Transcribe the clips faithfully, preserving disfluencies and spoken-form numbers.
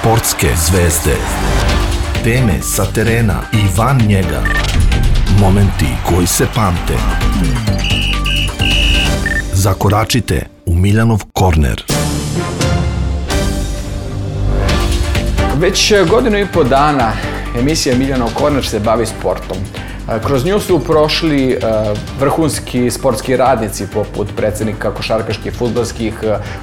Sportske zvezde. Teme sa terena i van njega. Momenti koji se pamte. Zakoračite u Miljanov korner. Već godinu i po dana emisija Miljanov korner se bavi sportom. Kroz nju su prošli vrhunski sportski radnici poput predsjednika košarkaških fudbalskih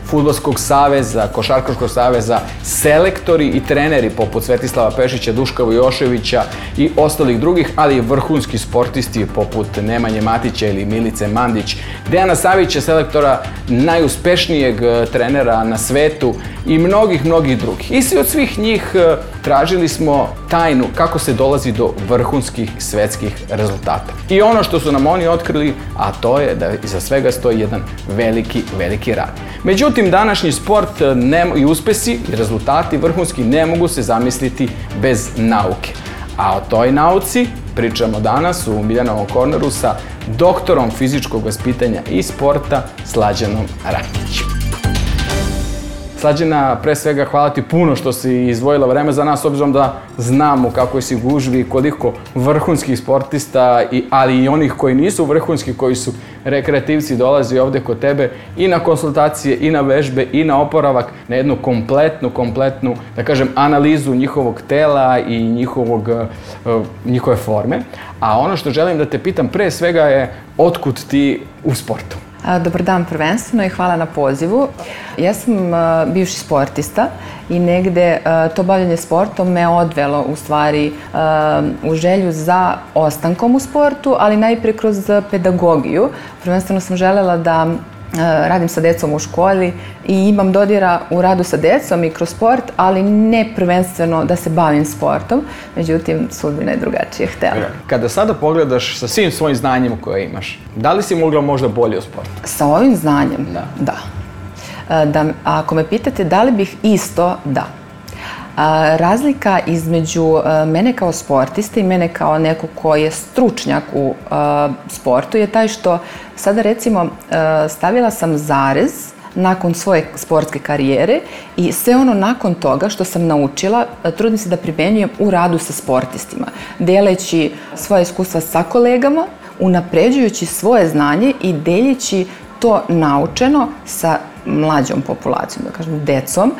fudbalskog saveza, košarkaškog saveza, selektori i treneri poput Svetislava Pešića, Duška Vujoševića i ostalih drugih, ali i vrhunski sportisti poput Nemanje Matića ili Milice Mandić, Dejana Savića, selektora najuspešnijeg trenera na svetu i mnogih, mnogih drugih. I svi od svih njih tražili smo tajnu kako se dolazi do vrhunskih svetskih rezultata. I ono što su nam oni otkrili, a to je da iza svega stoji jedan veliki, veliki rad. Međutim, današnji sport i uspesi i rezultati vrhunski ne mogu se zamisliti bez nauke. A o toj nauci pričamo danas u Miljanovom korneru sa doktorom fizičkog vaspitanja i sporta Slađanom Ratnićem. Slađana, pre svega hvala ti puno što si izdvojila vreme za nas, obzirom da znamo kako si gužvi, koliko vrhunskih sportista, ali i onih koji nisu vrhunski, koji su rekreativci, dolazi ovde kod tebe i na konsultacije, i na vežbe, i na oporavak, na jednu kompletnu, kompletnu, da kažem, analizu njihovog tela i njihovog, njihove forme. A ono što želim da te pitam pre svega je otkud ti u sportu? Dobar dan prvenstveno i hvala na pozivu. Ja sam bivši sportista i negde to bavljanje sportom me odvelo u stvari u želju za ostankom u sportu, ali najprije kroz pedagogiju. Prvenstveno sam želela da radim sa decom u školi i imam dodira u radu sa decom i kroz sport, ali ne prvenstveno da se bavim sportom. Međutim, sudbina je drugačije htjela. Kada sada pogledaš sa svim svojim znanjem koje imaš, da li si mogla možda bolje u sportu? Sa ovim znanjem? Da. Da. Da, ako me pitate da li bih isto, da. Razlika između mene kao sportiste i mene kao neko ko je stručnjak u sportu je taj što sada recimo stavila sam zarez nakon svoje sportske karijere i sve ono nakon toga što sam naučila trudim se da primjenjujem u radu sa sportistima, deleći svoje iskustva sa kolegama, unapređujući svoje znanje i deljeći to naučeno sa mlađom populacijom, da kažem, decom,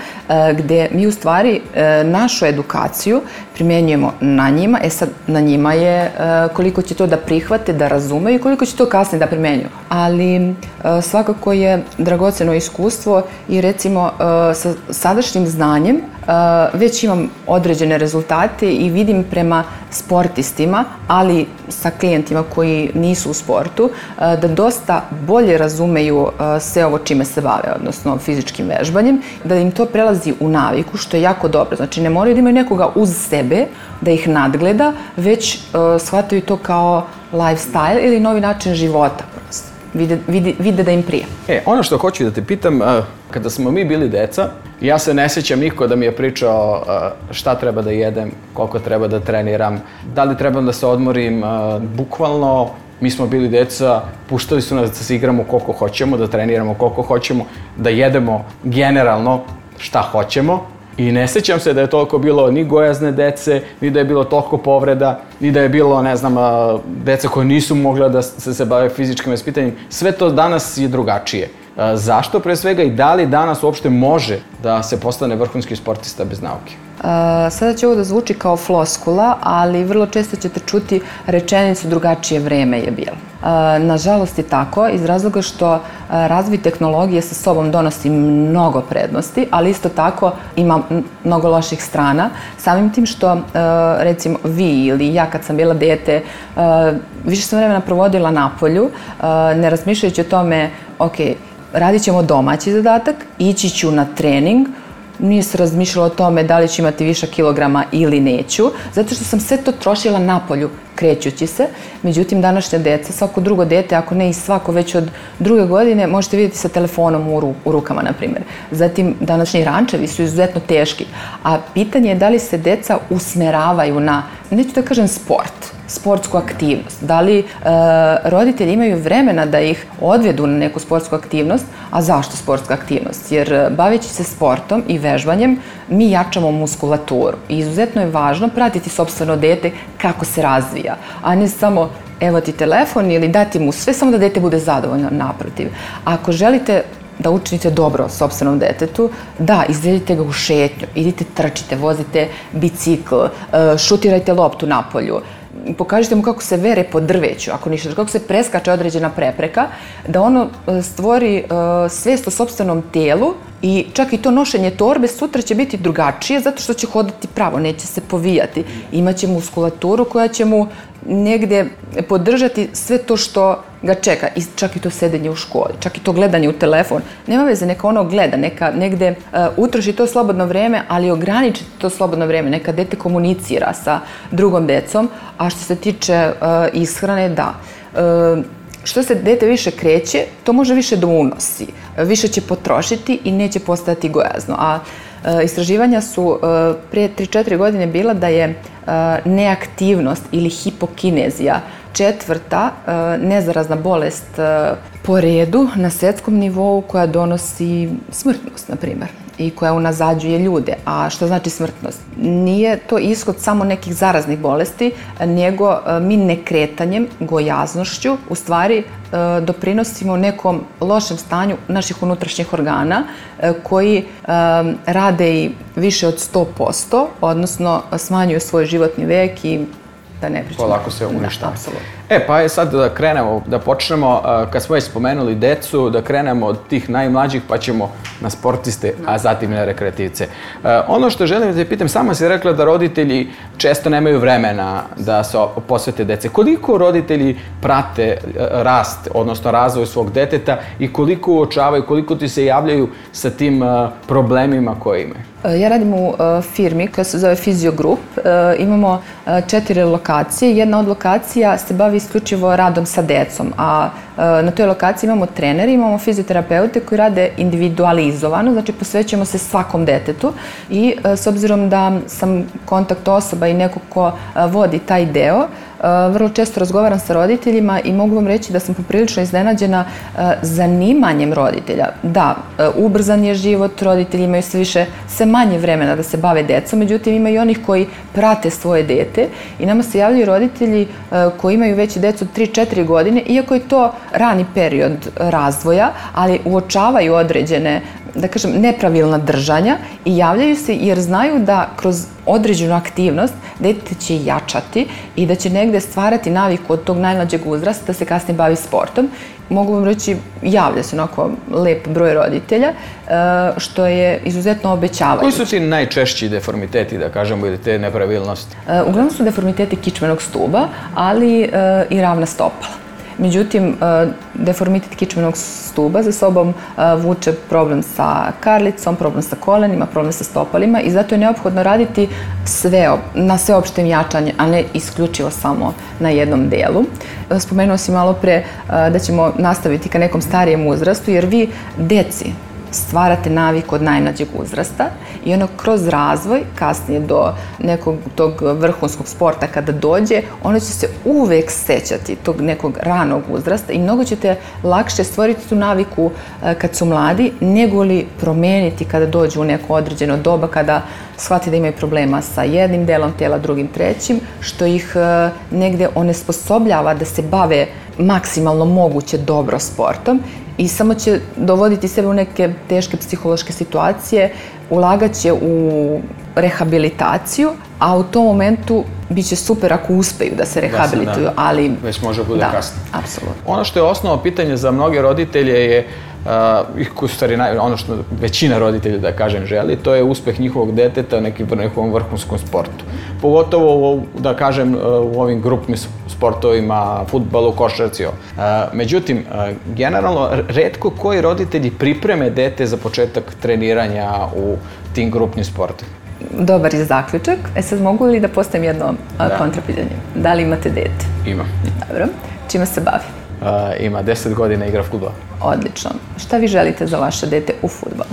gde mi u stvari našu edukaciju primjenjujemo na njima. E sad, na njima je koliko će to da prihvate, da razumeju i koliko će to kasnije da primjenjuju. Ali svakako je dragoceno iskustvo i recimo sa sadašnjim znanjem već imam određene rezultate i vidim prema sportistima, ali sa klijentima koji nisu u sportu, da dosta bolje razumeju sve ovo čime se bave, odnosno fizičkim vežbanjem, da im to prelazi u naviku, što je jako dobro. Znači, ne moraju da imaju nekoga uz sebe da ih nadgleda, već shvataju to kao lifestyle ili novi način života. Vide, vide, vide da im prije. E, ono što hoću da te pitam, kada smo mi bili deca, ja se ne sjećam niko da mi je pričao šta treba da jedem, koliko treba da treniram, da li trebam da se odmorim, bukvalno. Mi smo bili deca, puštali su nas da se igramo koliko hoćemo, da treniramo koliko hoćemo, da jedemo generalno šta hoćemo. I ne sjećam se da je toliko bilo ni gojazne dece, ni da je bilo toliko povreda, ni da je bilo, ne znam, deca koje nisu mogla da se, se bave fizičkim vaspitanjem. Sve to danas je drugačije. Zašto pre svega i da li danas uopšte može da se postane vrhunski sportista bez nauke? Sada će ovo da zvuči kao floskula, ali vrlo često ćete čuti rečenicu drugačije vreme je bilo. Nažalost je tako, iz razloga što razvoj tehnologije sa sobom donosi mnogo prednosti, ali isto tako ima mnogo loših strana. Samim tim što, recimo, vi ili ja kad sam bila dete, više sam vremena provodila napolju, ne razmišljajući o tome, ok, radit ćemo domaći zadatak, ići ću na trening, nije se razmišljala o tome da li ću imati višak kilograma ili neću, zato što sam sve to trošila napolju krećući se. Međutim, današnja deca, svako drugo dete, ako ne i svako već od druge godine, možete vidjeti sa telefonom u, ru, u rukama, na primjer. Zatim, današnji rančevi su izuzetno teški, a pitanje je da li se deca usmeravaju na, neću da kažem sport, sportsku aktivnost, da li e, roditelji imaju vremena da ih odvedu na neku sportsku aktivnost, a zašto sportska aktivnost? Jer baveći se sportom i vežbanjem mi jačamo muskulaturu i izuzetno je važno pratiti sopstveno dete kako se razvija, a ne samo evo ti telefon ili dati mu sve samo da dete bude zadovoljno. Naprotiv. Ako želite da učinite dobro sopstvenom detetu, da, izvedite ga u šetnju, idite trčite, vozite bicikl, šutirajte loptu napolju, pokažite mu kako se vere po drveću, ako ništa, kako se preskače određena prepreka, da ono stvori svest o sopstvenom telu i čak i to nošenje torbe sutra će biti drugačije zato što će hodati pravo, neće se povijati. Imaće muskulaturu koja će mu negde podržati sve to što ga čeka, i čak i to sedenje u školi, čak i to gledanje u telefon. Nema veze, neka ono gleda, neka negde uh, utroši to slobodno vreme, ali ograničite to slobodno vreme, neka dete komunicira sa drugom decom, a što se tiče uh, ishrane, da. Uh, Što se dete više kreće, to može više da unosi, više će potrošiti i neće postajati gojazno. A e, istraživanja su e, pre tri do četiri godine bila da je e, neaktivnost ili hipokinezija četvrta e, nezarazna bolest e, po redu na svetskom nivou koja donosi smrtnost, na primjer, i koja unazađuje ljude. A što znači smrtnost? Nije to ishod samo nekih zaraznih bolesti, nego mi nekretanjem, gojaznošću, u stvari doprinosimo nekom lošem stanju naših unutrašnjih organa koji rade i više od sto posto, odnosno smanjuju svoj životni vek i da ne pričamo. Polako se uništava. E, pa je sad da krenemo, da počnemo, kad smo već spomenuli decu, da krenemo od tih najmlađih pa ćemo na sportiste, a zatim na rekreativce. Ono što želim da te pitam, sama si rekla da roditelji često nemaju vremena da se posvete dece. Koliko roditelji prate rast, odnosno razvoj svog deteta i koliko uočavaju, koliko ti se javljaju sa tim problemima koje imaju? Ja radim u firmi koja se zove Physio Group. Imamo četiri lokacije. Jedna od lokacija se bavi isključivo radom sa decom, a na toj lokaciji imamo treneri, imamo fizioterapeute koji rade individualizovano, znači posvećujemo se svakom detetu i s obzirom da sam kontakt osoba i neko ko vodi taj deo, vrlo često razgovaram sa roditeljima i mogu vam reći da sam poprilično iznenađena zanimanjem roditelja. Da, ubrzan je život, roditelji imaju sve više, sve manje vremena da se bave decom, međutim ima i onih koji prate svoje dete i nama se javljaju roditelji koji imaju već decu od tri do četiri godine, iako je to rani period razvoja, ali uočavaju određene, da kažem, nepravilna držanja i javljaju se jer znaju da kroz određenu aktivnost dete će jačati i da će negde stvarati naviku od tog najmlađeg uzrasta da se kasnije bavi sportom. Mogu vam reći, javlja se onako lep broj roditelja, što je izuzetno obećavajuće. Koji su ti najčešći deformiteti, da kažemo, ili te nepravilnosti? Uglavnom su deformiteti kičmenog stuba, ali i ravna stopala. Međutim, deformitet kičmenog stuba za sobom vuče problem sa karlicom, problem sa kolenima, problem sa stopalima i zato je neophodno raditi sve, na sveopštem jačanju, a ne isključivo samo na jednom delu. Spomenuo si malo pre da ćemo nastaviti ka nekom starijem uzrastu, jer vi deci stvarate naviku od najmlađeg uzrasta i ono kroz razvoj, kasnije do nekog tog vrhunskog sporta kada dođe, ono će se uvek sećati tog nekog ranog uzrasta i mnogo ćete lakše stvoriti tu naviku kad su mladi, nego li promeniti kada dođu u neko određeno doba, kada shvati da imaju problema sa jednim delom tela, drugim, trećim, što ih negde onesposobljava da se bave maksimalno moguće dobro sportom i samo će dovoditi sebe u neke teške psihološke situacije, ulagaće u rehabilitaciju, a u tom momentu bit će super ako uspeju da se rehabilituju, ali... Već može bude kasno. Da, apsolutno. Ono što je osnovno pitanje za mnoge roditelje je, u stvari ono što većina roditelja, da kažem, želi, to je uspeh njihovog deteta u nekom vrhunskom sportu. Pogotovo, da kažem, u ovim grupnim sportovima, fudbalu, košarci. Međutim, generalno, retko koji roditelji pripreme dete za početak treniranja u tim grupnim sportovima. Dobar je zaključak. E sad mogu li da postavim jedno kontrapitanje? Da li imate dete? Imam. Dobro. Čime se bavi? Ima deset godina, igra fudbal. Odlično. Šta vi želite za vaše dete u fudbalu?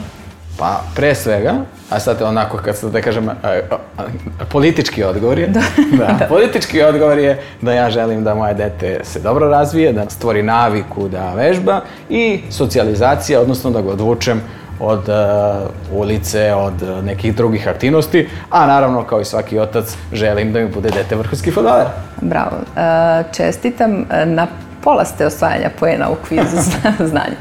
Pa pre svega, a sad onako kad se da kažem, a, a, a, politički odgovor je, da. Da, politički odgovor je da ja želim da moje dete se dobro razvije, da stvori naviku da vežba i socijalizacija, odnosno da ga odvučem od uh, ulice, od uh, nekih drugih aktivnosti, a naravno kao i svaki otac želim da mi bude dete vrhunski fudbaler. Bravo. Uh, čestitam, na pola ste osvajanja poena u kvizu znanja.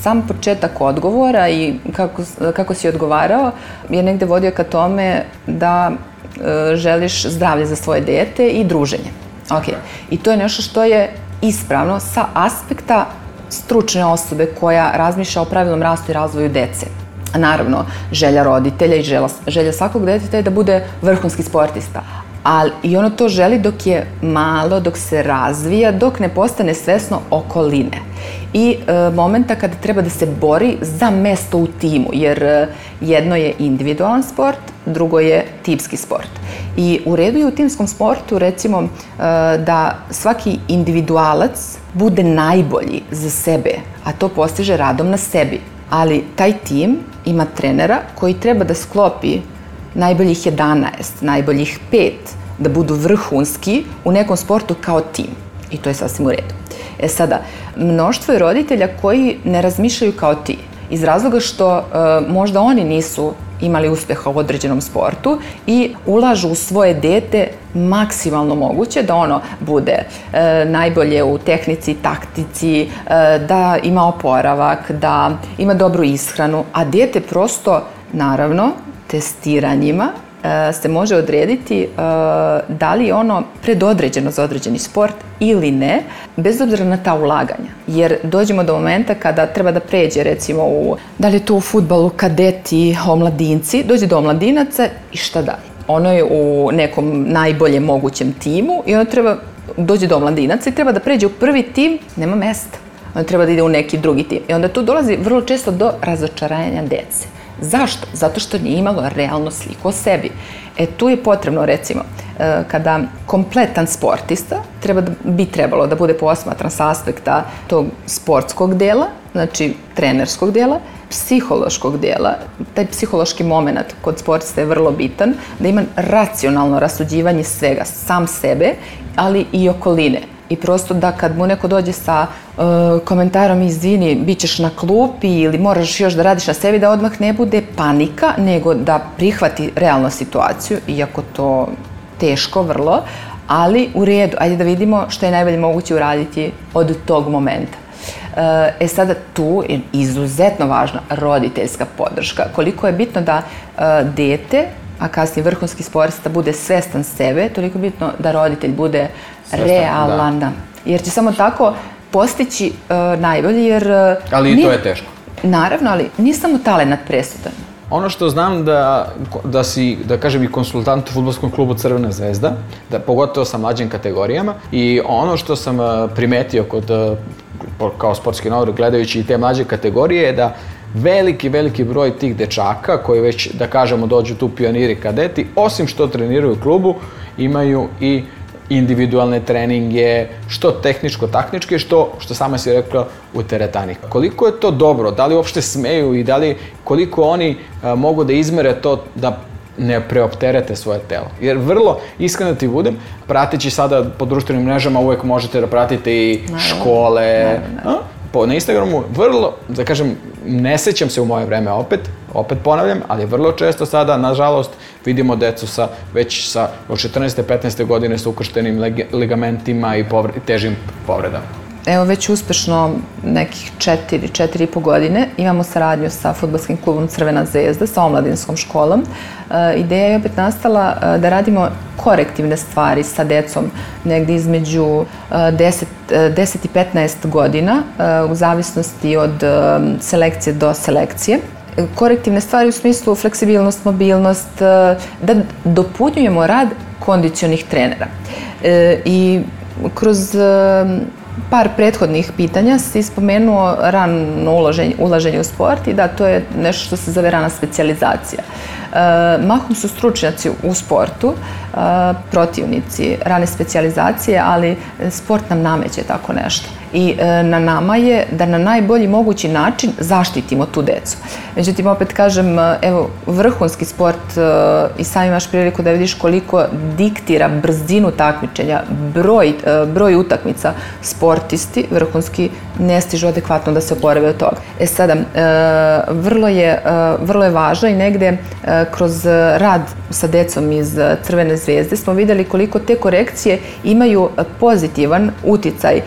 Sam početak odgovora i kako, kako si odgovarao je negde vodio ka tome da e, želiš zdravlje za svoje dete i druženje. Okay. I to je nešto što je ispravno sa aspekta stručne osobe koja razmišlja o pravilnom rastu i razvoju dece. Naravno, želja roditelja i želja, želja svakog deteta je da bude vrhunski sportista. Ali i ono to želi dok je malo, dok se razvija, dok ne postane svesno okoline. I e, momenta kada treba da se bori za mesto u timu, jer e, jedno je individualan sport, drugo je timski sport. I u redu je u timskom sportu, recimo, e, da svaki individualac bude najbolji za sebe, a to postiže radom na sebi. Ali taj tim ima trenera koji treba da sklopi najboljih jedanaest, najboljih pet, da budu vrhunski u nekom sportu kao tim. I to je sasvim u redu. E sada, mnoštvo je roditelja koji ne razmišljaju kao ti. Iz razloga što e, možda oni nisu imali uspeha u određenom sportu i ulažu u svoje dete maksimalno moguće da ono bude e, najbolje u tehnici, taktici, e, da ima oporavak, da ima dobru ishranu, a dete prosto, naravno, testiranjima e, se može odrediti e, da li je ono predodređeno za određeni sport ili ne, bez obzira na ta ulaganja. Jer dođemo do momenta kada treba da pređe, recimo, u, da li je to u fudbalu, kadeti, omladinci, dođe do omladinaca i šta dalje? Ono je u nekom najboljem mogućem timu i ono treba, dođe do omladinaca i treba da pređe u prvi tim, nema mesta. Ono treba da ide u neki drugi tim. I onda tu dolazi vrlo često do razočaranja dece. Zašto? Zato što nije imalo realnu sliku o sebi. E tu je potrebno, recimo, kada kompletan sportista treba da, bi trebalo da bude posmatran sa aspekta tog sportskog dela, znači trenerskog dela, psihološkog dela. Taj psihološki moment kod sportista je vrlo bitan, da ima racionalno rasuđivanje svega, sam sebe, ali i okoline. I prosto da kad mu neko dođe sa uh, komentarom izvini, bit ćeš na klupi ili moraš još da radiš na sebi, da odmah ne bude panika, nego da prihvati realnu situaciju, iako to teško vrlo, ali u redu, ajde da vidimo što je najbolje moguće uraditi od tog momenta. Uh, e sada tu je izuzetno važna roditeljska podrška. Koliko je bitno da uh, dete, a kasnije vrhunski sportista, bude svestan sebe, toliko je bitno da roditelj bude svestan, realan. Da. Jer će samo tako postići uh, najbolje, jer... Uh, ali i to je teško. Naravno, ali nije samo talenat presudan. Ono što znam da, da si, da kažem, i konsultant u fudbalskom klubu Crvena zvezda, da pogotovo sa mlađim kategorijama, i ono što sam primetio kod, kao sportski novinar gledajući i te mlađe kategorije je da veliki, veliki broj tih dečaka koji već, da kažemo, dođu tu pioniri kadeti, osim što treniraju u klubu, imaju i individualne treninge, što tehničko-taktičke, što, što sama si rekla, u teretani. Koliko je to dobro, da li uopšte smeju i da li, koliko oni a, mogu da izmere to da ne preopterete svoje telo. Jer vrlo, iskreno ti budem, prateći sada po društvenim mrežama uvek možete da pratite i škole, naravno, naravno. Po, na Instagramu, vrlo, da kažem, ne sećam se u moje vreme opet, opet ponavljam, ali vrlo često sada, nažalost, vidimo decu sa, već sa od četrnaeste petnaeste godine sa ukrštenim ligamentima i povre, težim povredama. Evo već uspešno nekih četiri, četiri i po godine imamo saradnju sa fudbalskim klubom Crvena zvezda, sa omladinskom školom. E, ideja je opet nastala e, da radimo korektivne stvari sa decom negdje između e, deset, deset i petnaest godina, e, u zavisnosti od e, selekcije do selekcije. Korektivne stvari u smislu fleksibilnost, mobilnost, e, da dopunjujemo rad kondicionih trenera. E, I kroz e, par prethodnih pitanja si spomenuo rano ulaženje, ulaženje u sport i da, to je nešto što se zove rana specijalizacija. E, mahom su stručnjaci u sportu protivnici rane specijalizacije, ali sport nam nameće tako nešto. I na nama je da na najbolji mogući način zaštitimo tu decu. Međutim, opet kažem, evo, vrhunski sport i sam imaš priliku da vidiš koliko diktira brzinu takmičenja, broj, broj utakmica, sportisti vrhunski ne stižu adekvatno da se oporave od toga. E sada, vrlo je, vrlo je važno i negde kroz rad sa decom iz Crvene zvezde smo videli koliko te korekcije imaju pozitivan uticaj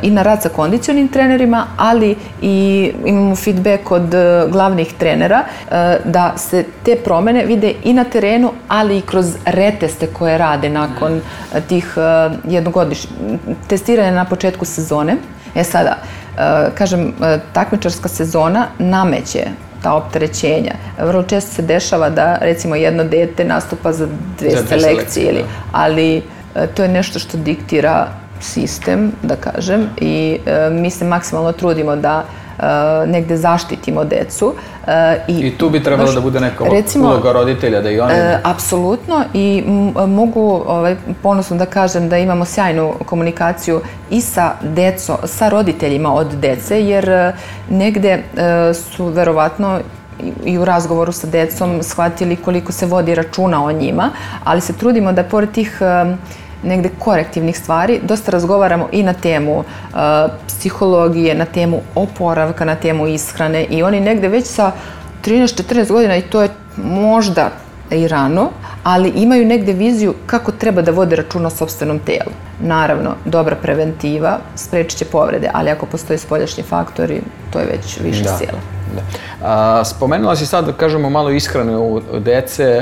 i na rad sa kondicionim trenerima, ali i imamo feedback od glavnih trenera da se te promene vide i na terenu, ali i kroz reteste koje rade nakon tih jednogodišnjih testiranja na početku sezone. E sada, kažem, takmičarska sezona nameće ta opterećenja. Vrlo često se dešava da, recimo, jedno dete nastupa za dve selekcije, ali to je nešto što diktira sistem, da kažem, i mi se maksimalno trudimo da negde zaštitimo decu. I tu bi trebalo da bude neka uloga roditelja, da i oni... Apsolutno, i mogu ponosno da kažem da imamo sjajnu komunikaciju i sa decom, sa roditeljima od dece, jer negde su verovatno i u razgovoru sa decom shvatili koliko se vodi računa o njima, ali se trudimo da pored tih negde korektivnih stvari dosta razgovaramo i na temu psihologije, na temu oporavka, na temu ishrane, i oni negde već sa trinaest četrnaest godina, i to je možda i rano, ali imaju negde viziju kako treba da vode računa o sopstvenom telu. Naravno, dobra preventiva sprečit će povrede, ali ako postoji spoljašnji faktori, to je već više sila. Spomenula si sad, da kažemo, malo ishrane u dece.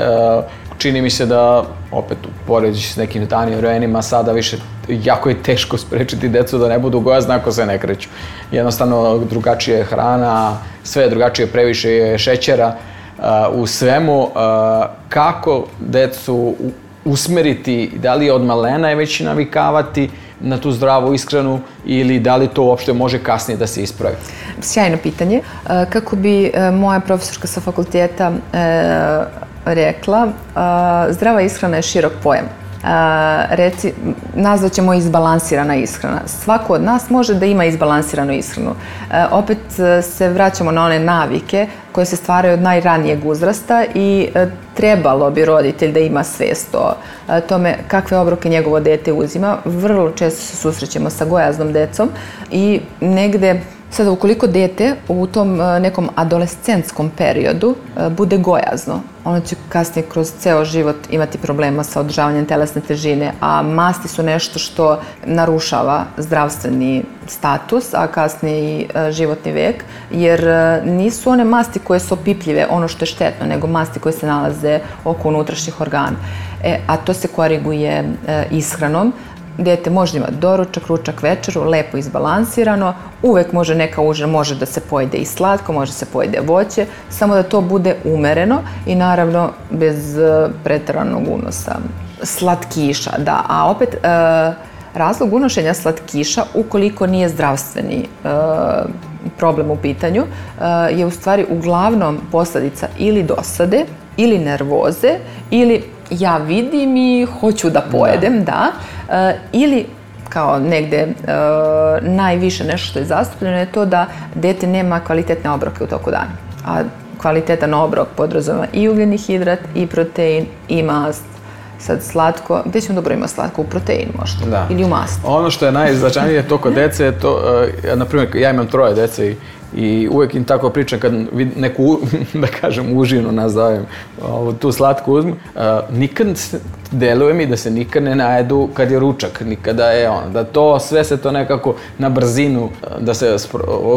Čini mi se da, opet, upoređujući s nekim danijim vremenima, sada više jako je teško sprečiti decu da ne budu gojazne ako se ne kreću. Jednostavno, drugačija je hrana, sve je drugačije, previše je šećera u svemu. Kako decu usmeriti, da li od malena je već navikavati na tu zdravu ishranu ili da li to uopšte može kasnije da se ispravi? Sjajno pitanje. Kako bi moja profesorka sa fakulteta rekla, zdrava ishrana je širok pojam. Reci, nazvat ćemo izbalansirana ishrana. Svako od nas može da ima izbalansiranu ishranu. Opet se vraćamo na one navike koje se stvaraju od najranijeg uzrasta i trebalo bi roditelj da ima svest o tome kakve obroke njegovo dete uzima. Vrlo često se susrećemo sa gojaznom decom i negde, sada ukoliko dete u tom nekom adolescentskom periodu bude gojazno, ono će kasnije kroz ceo život imati problema sa održavanjem telesne težine, a masti su nešto što narušava zdravstveni status, a kasnije i životni vek, jer nisu one masti koje su opipljive, ono što je štetno, nego masti koje se nalaze oko unutrašnjih organa. E, a to se koriguje ishranom. Dete može imati doručak, ručak, večeru, lepo izbalansirano, uvek može neka užina, može da se pojede i slatko, može se pojede voće, samo da to bude umereno i naravno bez preteranog unosa slatkiša, da. A opet, razlog unošenja slatkiša, ukoliko nije zdravstveni problem u pitanju, je u stvari uglavnom posledica ili dosade, ili nervoze, ili ja vidim i hoću da pojedem, da, ili kao negde najviše nešto što je zastupljeno je to da dete nema kvalitetne obroke u toku dana. A kvalitetan obrok podrazumeva i ugljeni hidrat, i protein, i mast. Sad slatko, gde ćemo dobro ima slatko? U protein možda, ili u mast. Ono što je najznačajnije to kod dece je to, na primjer, ja imam troje dece i i uvek im tako pričam kad neku, da kažem, užinu nazovem, tu slatku uzmu, nikad deluje mi da se nikad ne najedu kad je ručak, nikada je on, da to sve se to nekako na brzinu, da se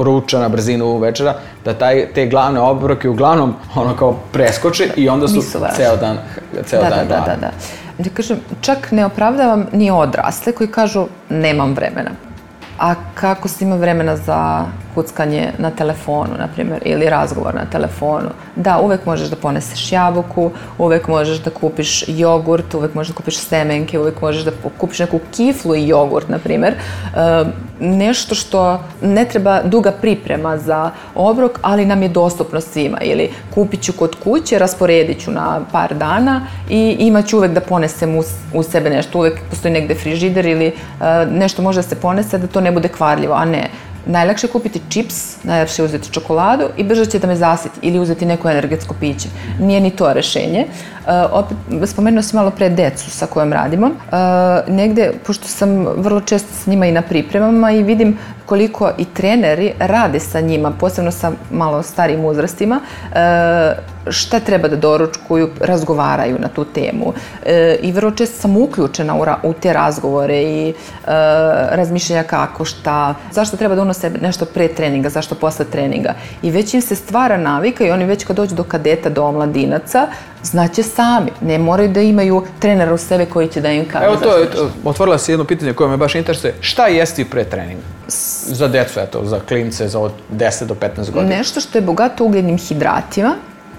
ruča na brzinu večera, da taj, te glavne obroke uglavnom ono kao preskoče i onda su ceo dan, ceo dan gladni. Da, da, da. Da kažem, čak ne opravdavam ni odrasle koji kažu nemam vremena. A kako se ima vremena za kuckanje na telefonu, na primjer, ili razgovor na telefonu. Da, uvek možeš da poneseš jabuku, uvek možeš da kupiš jogurt, uvek možeš da kupiš semenke, uvek možeš da kupiš neku kiflu i jogurt, na primjer. E, nešto što ne treba duga priprema za obrok, ali nam je dostupno svima. Ili kupit ću kod kuće, rasporedit ću na par dana i imat ću uvek da ponesem u, u sebe nešto. Uvek postoji negde frižider ili e, nešto može da se ponese da to ne bude kvarljivo, a ne. Najlakše je kupiti čips, najlakše je uzeti čokoladu i brže će da me zasiti ili uzeti neko energetsko piće. Nije ni to rešenje. E, opet, spomenuo si malo pre decu sa kojom radimo. E, negde, pošto sam vrlo često s njima i na pripremama i vidim koliko i treneri rade sa njima, posebno sa malo starijim uzrastima, e, šta treba da doručkuju, razgovaraju na tu temu. E, I vrlo često sam uključena u, ra, u te razgovore i e, razmišljanja kako, šta, zašto treba da unose nešto pre treninga, zašto posle treninga. I već im se stvara navika i oni već kad dođu do kadeta, do omladinaca, znaće sami. Ne moraju da imaju trenera u sebe koji će da im kaže. Evo to je, otvorila si jedno pitanje koje me baš interesuje. Šta jesti pre treninga? Za decu, eto, za klince, za od deset do petnaest godina. Nešto što je bogato ugljenim hidratima.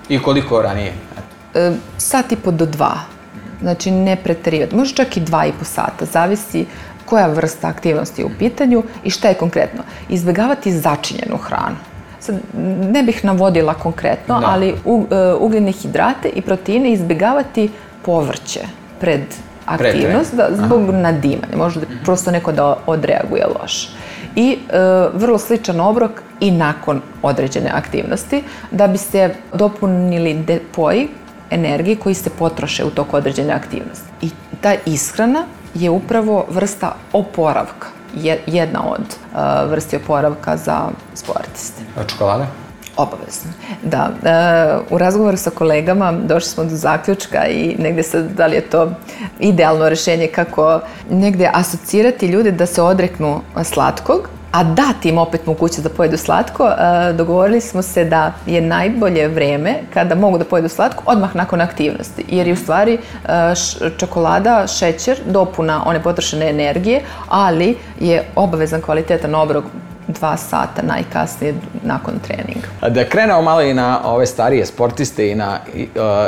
I koliko ranije? E, sat i po do dva. Znači ne preterivati. Može čak i dva i po sata. Zavisi koja vrsta aktivnosti je u pitanju i šta je konkretno. Izbjegavati začinjenu hranu. Sad, ne bih navodila konkretno, da. ali u, uh, ugljene hidrate i proteine izbjegavati povrće pred aktivnost da, zbog Aha. nadimanja. Možda prosto neko da odreaguje loše. I e, vrlo sličan obrok i nakon određene aktivnosti da bi se dopunili depoji energije koji se potroše u toku određene aktivnosti. I ta ishrana je upravo vrsta oporavka. Jedna od uh, vrsti oporavka za sportiste. A čokolada? Obavezno. Da. Uh, u razgovoru sa kolegama došli smo do zaključka i negde sad, da li je to idealno rešenje kako negde asocirati ljude da se odreknu slatkog, a dati im opet mogućnost da pojedu slatko. Uh, dogovorili smo se da je najbolje vreme kada mogu da pojedu slatko odmah nakon aktivnosti. Jer je u stvari uh, š, čokolada, šećer, dopuna one potrošene energije, ali je obavezan kvalitetan obrok dva sata najkasnije nakon treninga. Da krenemo malo i na ove starije sportiste i na uh,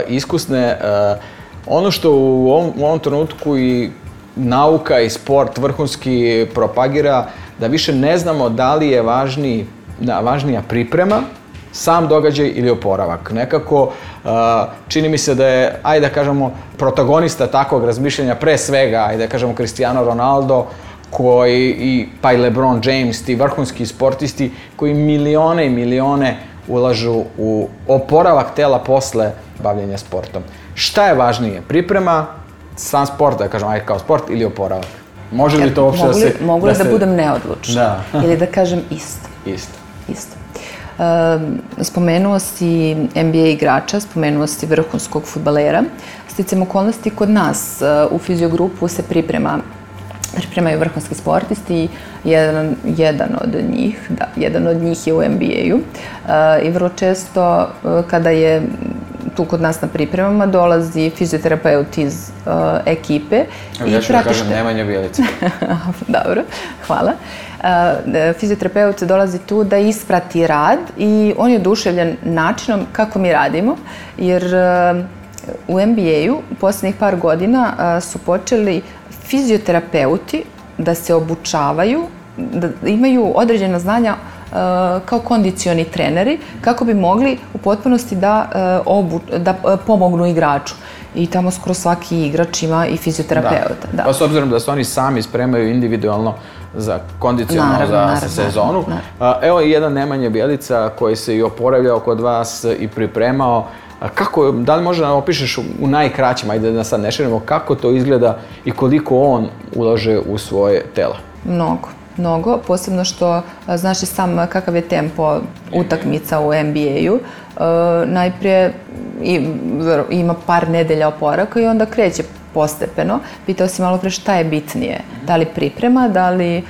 iskusne, uh, ono što u ovom, u ovom trenutku i nauka i sport vrhunski propagira, da više ne znamo da li je važniji, da, važnija priprema, sam događaj ili oporavak. Nekako uh, čini mi se da je, ajde da kažemo, protagonista takvog razmišljanja pre svega, ajde da kažemo Cristiano Ronaldo, koji i pa i LeBron James, ti vrhunski sportisti koji milione i milione ulažu u oporavak tela posle bavljenja sportom. Šta je važnije? Priprema, sam sport, da kažem, ajde kao sport ili oporavak? Može li to uopšte mogu li, da se... Mogu li da, da se... budem neodlučna? Da. Ili da kažem isto? Isto. Isto. Um, spomenuo si N B A igrača, spomenuo si vrhunskog fudbalera. Sticam okolnosti kod nas uh, u fiziogrupu se priprema pripremaju vrhunski sportisti, jedan, jedan od njih, da, jedan od njih je u N B A-u uh, i vrlo često uh, kada je tu kod nas na pripremama dolazi fizioterapeut iz uh, ekipe. I ja ću da kažem Nemanja Bjelica. Dobro, hvala. Uh, fizioterapeut dolazi tu da isprati rad i on je oduševljen načinom kako mi radimo, jer uh, u N B A-u u posljednjih par godina uh, su počeli fizioterapeuti da se obučavaju, da imaju određena znanja uh, kao kondicioni treneri kako bi mogli u potpunosti da, uh, obu, da uh, pomognu igraču. I tamo skoro svaki igrač ima i fizioterapeuta. Da. Da. Pa s obzirom da se oni sami spremaju individualno za kondicionalno naravno, za naravno, sezonu. Naravno. Evo i jedan Nemanja Bjelica koji se i oporavljao kod vas i pripremao. Kako, da li možda opišeš u najkraćim, ajde da sad ne širimo, kako to izgleda i koliko on ulaže u svoje telo? Mnogo, mnogo, posebno što znaš i sam kakav je tempo utakmica u N B A-u. E, najprije ima par nedelja oporavka i onda kreće postepeno. Pitao si malo pre šta je bitnije, da li priprema, da li uh,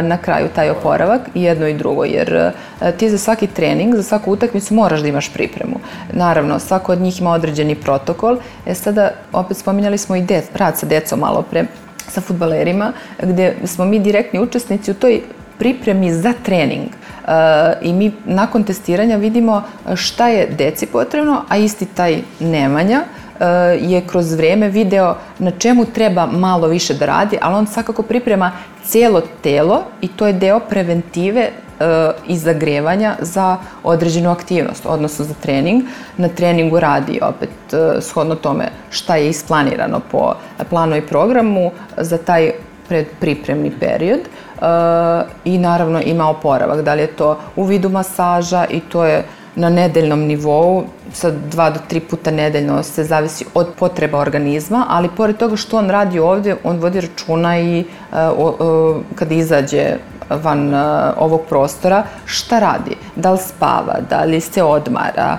na kraju taj oporavak, i jedno i drugo, jer uh, ti za svaki trening, za svaku utakmicu moraš da imaš pripremu. Naravno, svako od njih ima određeni protokol. E sada, opet spominjali smo i dec, rad sa decom malo pre, sa fudbalerima, gdje smo mi direktni učesnici u toj pripremi za trening. I mi nakon testiranja vidimo šta je deci potrebno, a isti taj Nemanja je kroz vrijeme video na čemu treba malo više da radi, ali on svakako priprema cijelo telo i to je deo preventive i zagrevanja za određenu aktivnost, odnosno za trening. Na treningu radi opet shodno tome šta je isplanirano po planu i programu za taj predpripremni period i naravno ima oporavak. Da li je to u vidu masaža i to je na nedeljnom nivou, sa dva do tri puta nedeljno se zavisi od potreba organizma, ali pored toga što on radi ovdje, on vodi računa i kada izađe van ovog prostora, šta radi? Da li spava, da li se odmara,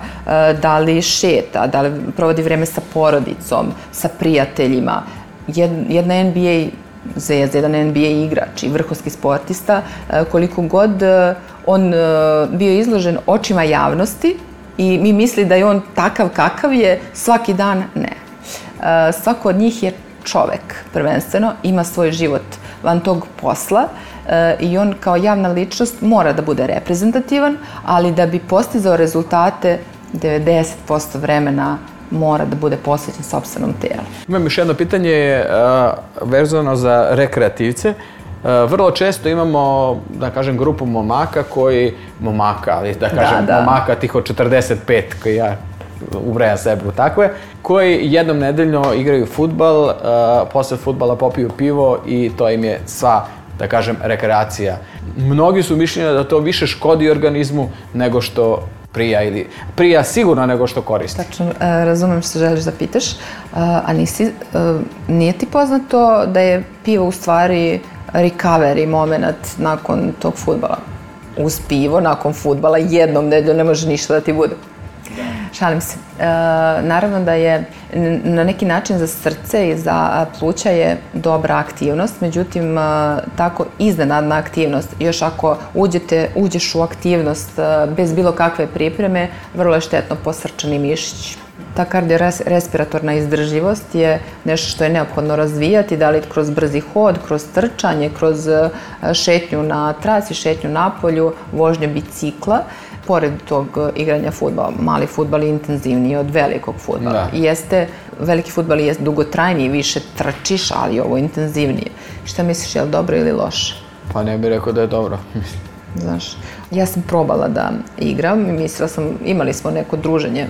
da li šeta, da li provodi vreme sa porodicom, sa prijateljima. Jedna N B A zvezda, jedan N B A igrač i vrhunski sportista, koliko god on bio izložen očima javnosti i mi misli da je on takav kakav je, svaki dan ne. Svako od njih je čovek, prvenstveno, ima svoj život van tog posla i on kao javna ličnost mora da bude reprezentativan, ali da bi postizao rezultate devedeset posto vremena mora da bude posvećen sopstvenom tijelu. Imam još jedno pitanje vezano za rekreativce. Vrlo često imamo, da kažem, grupu momaka koji, momaka, ali da kažem, momaka tih od četrdeset pet, koji ja ubrajam sebe u takve, koji jednom nedeljno igraju fudbal, posle fudbala popiju pivo i to im je sva, da kažem, rekreacija. Mnogi su mišljenja da to više škodi organizmu nego što prija ili prija sigurno nego što koristi. Tačno, razumem što želiš da pitaš, a nisi, nije ti poznato da je pivo u stvari recovery moment nakon tog fudbala? Uz pivo, nakon fudbala, jednom nedeljom ne može ništa da ti bude. Šalim se. Naravno da je na neki način za srce i za pluća je dobra aktivnost, međutim tako iznenadna aktivnost, još ako uđete, uđeš u aktivnost bez bilo kakve pripreme, vrlo je štetno po srčani mišić. Ta kardiorespiratorna izdržljivost je nešto što je neophodno razvijati, da li kroz brzi hod, kroz trčanje, kroz šetnju na traci, šetnju napolju, vožnju bicikla. Pored tog igranja fudbala, mali fudbal je intenzivniji od velikog fudbala. Jeste, veliki fudbal je dugotrajniji, više trčiš, ali ovo je intenzivnije. Šta misliš, je li dobro ili loše? Pa ne bih rekao da je dobro. Znaš, ja sam probala da igram i mislila sam, imali smo neko druženje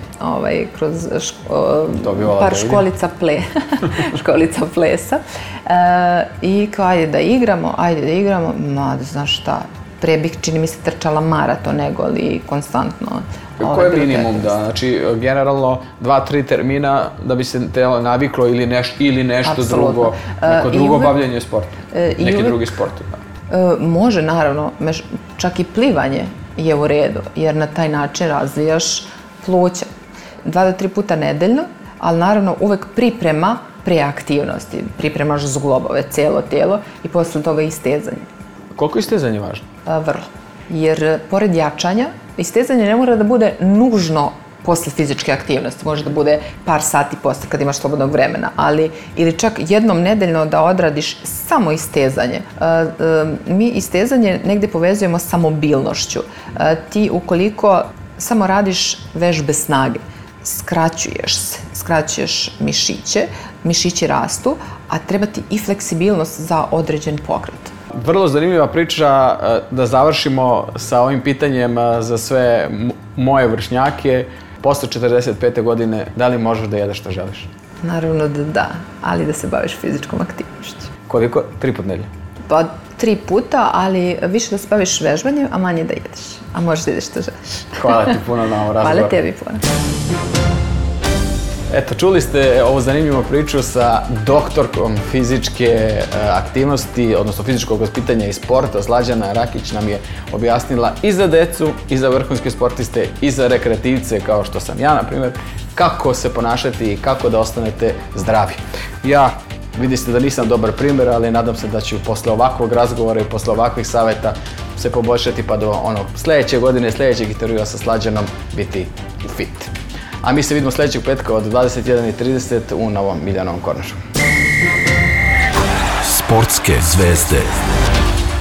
kroz par školica školica plesa i kao ajde da igramo, ajde da igramo, ma znaš šta, pre bih, čini mi se, trčala maraton nego li konstantno. Ko je minimum da, znači, generalno dva, tri termina da bi se telo naviklo ili nešto drugo, neko drugo bavljanje sporta, neki drugi sport? Može, naravno, čak i plivanje je u redu, jer na taj način razvijaš pluća. Dva do tri puta nedeljno, ali naravno uvek priprema pre aktivnosti. Pripremaš zglobove, cijelo tijelo i posle toga istezanje. Koliko je istezanje važno? Vrlo. Jer pored jačanja, istezanje ne mora da bude nužno posle fizičke aktivnosti. Može da bude par sati posle kad imaš slobodnog vremena, ali ili čak jednom nedeljno da odradiš samo istezanje. Mi istezanje negde povezujemo sa mobilnošću. Ti ukoliko samo radiš vežbe snage, skraćuješ se, skraćuješ mišiće, mišići rastu, a treba ti i fleksibilnost za određen pokret. Vrlo zanimljiva priča, da završimo sa ovim pitanjem za sve moje vršnjake. Posle četrdeset pete godine, da li možeš da jedeš što želiš? Naravno da da, ali da se baviš fizičkom aktivnošću. Koliko? Tri put nedelje? Pa tri puta, ali više da se baviš vežbanjem, a manje da jedeš. A možeš da jedeš što želiš. Hvala ti puno na ovom razgovoru. Hvala tebi puno. Eto, čuli ste ovu zanimljivu priču sa doktorkom fizičke aktivnosti, odnosno fizičkog vaspitanja i sporta. Slađana Rakić nam je objasnila i za decu, i za vrhunske sportiste, i za rekreativce, kao što sam ja, na primjer, kako se ponašati i kako da ostanete zdravi. Ja, vidite da nisam dobar primjer, ali nadam se da ću posle ovakvog razgovora i posle ovakvih savjeta se poboljšati pa do onog sljedeće godine, sljedećeg intervjua sa Slađanom biti u fit. A mi se vidimo sljedećeg petka od dvadeset jedan i trideset u Novom Miljanovom Kornašu. Sportske zvezde.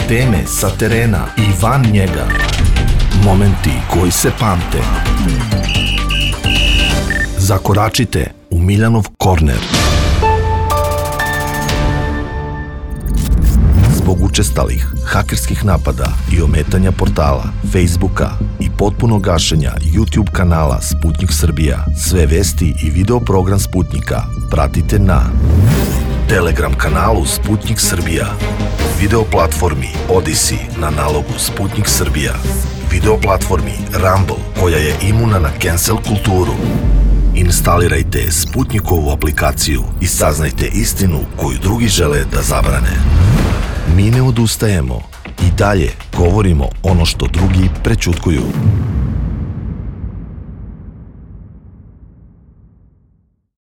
Teme sa terena i van njega. Momenti koji se pamte. Zakoračite u Miljanov korner. Zbog učestalih hakerskih napada i ometanja portala, Facebooka i potpunog gašenja YouTube kanala Sputnik Srbija, sve vesti i video program Sputnika pratite na Telegram kanalu Sputnik Srbija, video platformi Odyssey na nalogu Sputnik Srbija, video platformi Rumble koja je imuna na cancel kulturu. Instalirajte Sputnikovu aplikaciju i saznajte istinu koju drugi žele da zabrane. Mi ne odustajemo i dalje govorimo ono što drugi prećutkuju.